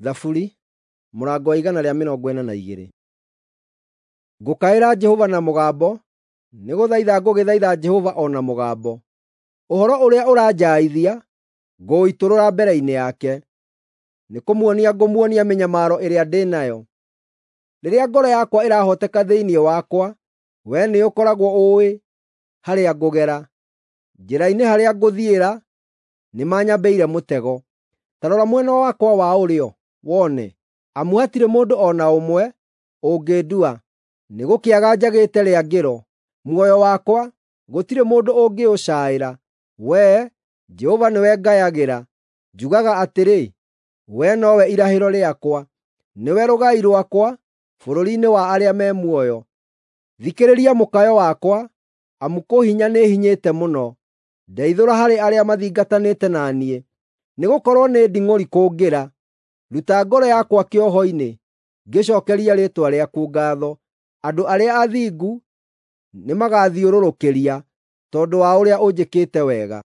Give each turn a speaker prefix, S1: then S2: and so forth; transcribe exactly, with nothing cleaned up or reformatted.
S1: Thaburi mũrango wa igana rĩa mĩrongo ĩna na igĩrĩ. Ngũkaĩra Jehova na mũgambo, nĩgũthaitha ngũgĩthaitha Jehova o na mũgambo. Ũhoro ũrĩa ũranjaaithia ngũũitũrũra mbere-inĩ yake, nĩkũmuonia ngũmuonia mĩnyamaro ĩrĩa ndĩ nayo. Rĩrĩa ngoro yakwa ĩrahooteka thĩinĩ wakwa, wee nĩũkoragwo ũũĩ harĩa ngũgera. Njĩra-inĩ harĩa ngũthiĩra nĩmanyambĩire mũtego. Ta rora mwena wakwa wa ũrĩo wone, amu hatirĩ mũndũ o na ũmwe ũngĩndua. Nĩgũkĩaga njagĩte rĩangĩro; muoyo wakwa gũtirĩ mũndũ ũngĩũcaĩra. Wee, Jehova nĩwe ngayagĩra; njugaga atĩrĩ, “Wee nowe irahĩro rĩakwa, nĩwe rũgai rwakwa bũrũri-inĩ wa arĩa me muoyo.” Thikĩrĩria mũkayo wakwa, amu kũhinya nĩhinyĩte mũno; ndeithũra harĩ arĩa mathingatanĩte na niĩ, nĩgũkorwo nĩ nding'ũri kũngĩra. Ruta ngoro yakwa kĩoho-inĩ, ngĩcookerie rĩĩtwa rĩaku ngaatho. Andũ arĩa athingu nĩmagathiũrũrũkĩria tondũ wa ũrĩa ũnjĩkĩte wega.